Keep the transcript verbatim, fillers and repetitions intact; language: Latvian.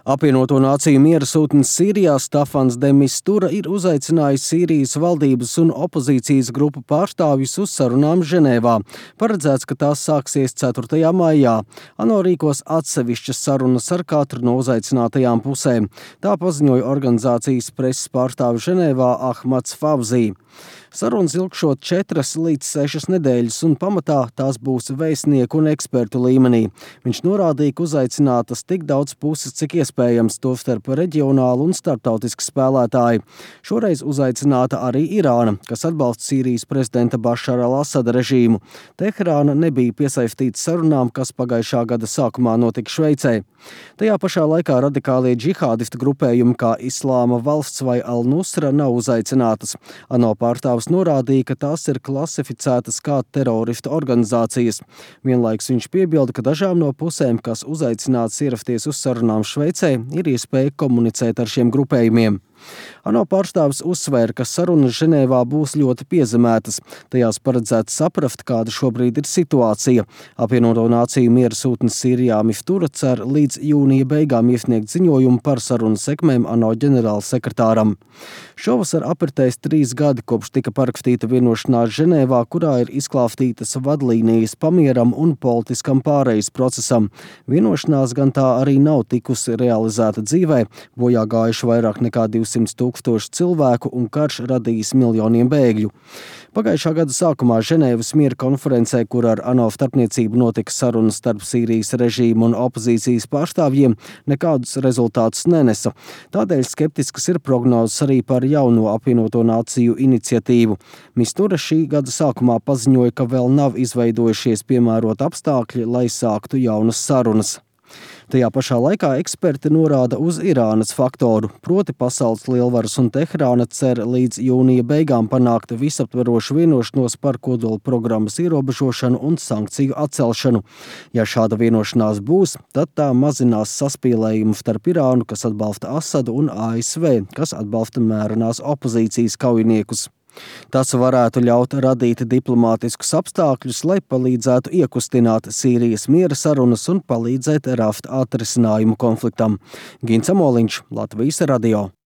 Apvienoto Nāciju miera sūtnis Sīrijā Stafans de Mistura ir uzaicinājis Sīrijas valdības un opozīcijas grupu pārstāvjus uz sarunām Ženēvā. Paredzēts, ka tās sāksies ceturtajā maijā. ANO rīkos atsevišķas sarunas ar katru no uzaicinātajām pusēm. Tā paziņoja organizācijas preses pārstāvis Ženēvā Ahmads Favzī. Sarunas ilgšot četras līdz sešas nedēļas, un pamatā tās būs vēstnieku un ekspertu līmenī. Viņš norādīja, ka uzaicinātas tik daudz puses, cik iespējams, tostarp reģionālu un starptautisku spēlētāju. Šoreiz uzaicināta arī Irāna, kas atbalsta Sīrijas prezidenta Bašara al-Asada režīmu. Teherāna nebija piesaistīta sarunām, kas pagājušā gada sākumā notika Šveicē. Tajā pašā laikā radikālie džihādistu grupējumi kā Islāma valsts vai Al-Nusra nav uzaicinātas. ANO pārstāvis norādīja, ka tās ir klasificētas kā teroristu organizācijas. Vienlaiks viņš piebilda, ka dažām no pusēm, kas uzaicināts ierasties uz sarunām Šveicē, ir iespēja komunicēt ar šiem grupējumiem. ANO pārstāvis uzsvēra, ka sarunas Ženēvā būs ļoti piezemētas. Tajās paredzēts saprast, kāda šobrīd ir situācija. Apvienoto Nāciju miera sūtnis Sīrijā Mistura cer līdz jūnija beigām iesniegt ziņojumu par sarunu sekmēm ANO ģenerālsekretāram. Šovasar apritēs trīs gadi, kopš tika parakstīta vienošanās Ženēvā, kurā ir izklāstītas vadlīnijas pamieram un politiskam pārejas procesam. Vienošanās gan tā arī nav tikusi realizēta dzīvē, bojā gājuši vairāk nekā divsimt tūkstoši cilvēku un karš radījis miljoniem bēgļu. Pagājušā gada sākumā Ženēvas miera konferencē, kur ar ANO starpniecību notika sarunas starp Sīrijas režīmu un opozīcijas pārstāvjiem, nekādus rezultātus nenesa. Tādēļ skeptiskas ir prognozes arī par jauno Apvienoto Nāciju iniciatīvu. Mistura šī gada sākumā paziņoja, ka vēl nav izveidojušies piemēroti apstākļi, lai sāktu jaunas sarunas. Tajā pašā laikā eksperti norāda uz Irānas faktoru, proti pasaules lielvaras un Teherāna cer līdz jūnija beigām panākt visaptverošu vienošanos par kodola programmas ierobežošanu un sankciju atcelšanu. Ja šāda vienošanās būs, tad tā mazinās saspīlējumu starp Irānu, kas atbalsta Asadu, un A S V, kas atbalsta mērenās opozīcijas kaujiniekus. Tas varētu ļaut radīt diplomātiskus apstākļus, lai palīdzētu iekustināt Sīrijas miera sarunas un palīdzēt rast atrisinājumu konfliktam. Gins Amoliņš, Latvijas radio.